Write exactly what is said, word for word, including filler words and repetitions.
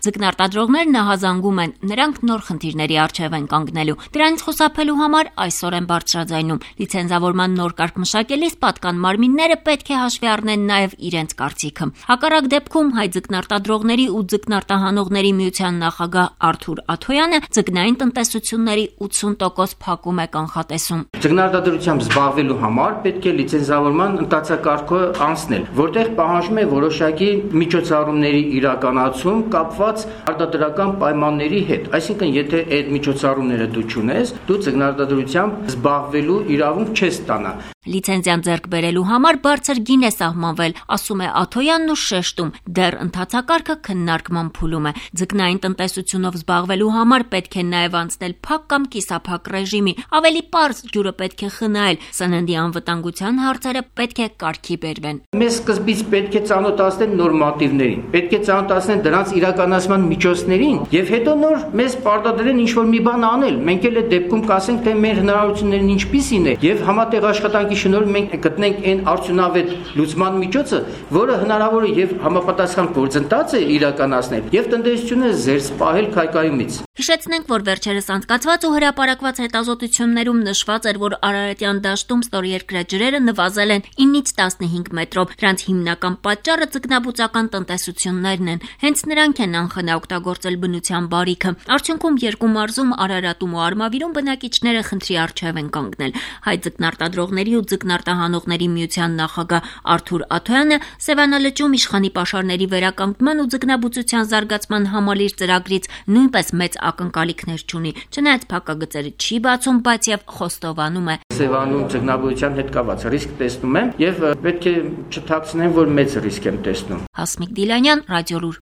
Ձկնարտադրողներն նահազանգում են, նրանք նոր խնդիրների առջև են կանգնելու։ Դրանից խուսափելու համար այսօր են բարձրաձայնում։ Լիցենզավորման նոր կարգ մշակելիս պատկան մարմինները պետք է հաշվի առնեն նաև իրենց կարծիքը։ Հակառակ դեպքում հայ ձկնարտադրողների ու ձկնարտահանողների միության նախագահ Արթուր Աթոյանը ձկնային տնտեսությունների ութսուն տոկոս փակում է կանխատեսում։ Ձկնարտադրությամբ զբաղվելու համար պետք է լիցենզավորման ընթացակարգը անցնել, որտեղ պահանջում է որոշակի միջոցառումների իրականացում կապված արտադրական պայմանների հետ։ Այսինքն, եթե այդ միջոցառումները դու չունես, դու ձկնարտադրությամբ զբաղվելու իրավունք չես ստանա։ Լիցենզիան ձեռք բերելու համար բարձր գին է սահմանվել, ասում է Աթոյանն ու շեշտում, դեռ ընթացակարգը քննարկման փուլում է։ Ձկնային տնտեսությունով զբաղվելու համար պետք է նաև անցնել փակ կամ կիսափակ ռեժիմի, ավելի պարզ ջուրը պետք է խնայել, սննդի անվտանգության հարցերը պետք է կարգի բերվեն։ Մեզ սկզբից պետք է ծանոթացնել նորմատիվներին, պետք է ծանոթացնել դրանց իրականացման միջոցներին եւ հետո նոր մեզ պարտադրեն ինչ-որ մի բան անել։ Մենք էլ այդ դեպքում կասենք, թե մեր հնարավորություններն ինչպիսին է եւ համատեղ աշխատանքի շնորհիվ մենք գտնենք այն արդյունավետ լուծման միջոցը, որը հնարավոր է եւ համապատասխան գործընթաց է իրականացնել եւ տնտեսությունը զերծ պահել քայքայումից։ Հիշեցնենք, որ վերջերս անցկացված ու հրապարակված հետազոտություններում նշված էր, որ Արարատյան դաշտում ստորերկրյա ջրերը նվազել են ինից տասնհինգ մետրով։ Դրանց հիմնական պատճառը ձկնաբուծական տնտեսություններն են։ Հենց նրանք են անխնա օգտագործել բնության բարիքը։ Արդյունքում երկու մարզում Արարատում ու Արմավիրում բնակիչները խնդրի առջև են կանգնել։ Հայ ձկնարտադրողների ու ձկնարտահանողների միության նախագահ Արթուր Աթոյանը Սևանալճում իշխանի պաշարների վերականգնման ու ձկնաբուծության զարգացման համալիր ծրագրից նույնպես մեծ ակնկալիքներ չունի։ Չնայած փակագծերը չի բացում, բայց եւ խոստովանում է. Սևանում ձկնաբուծության հետ կապված ռիսկ տեսնում եմ եւ պետք է չթաքցնեմ, որ մեծ ռիսկ եմ տեսնում։ Հասմիկ Դիլանյան, Ռադիոլուր։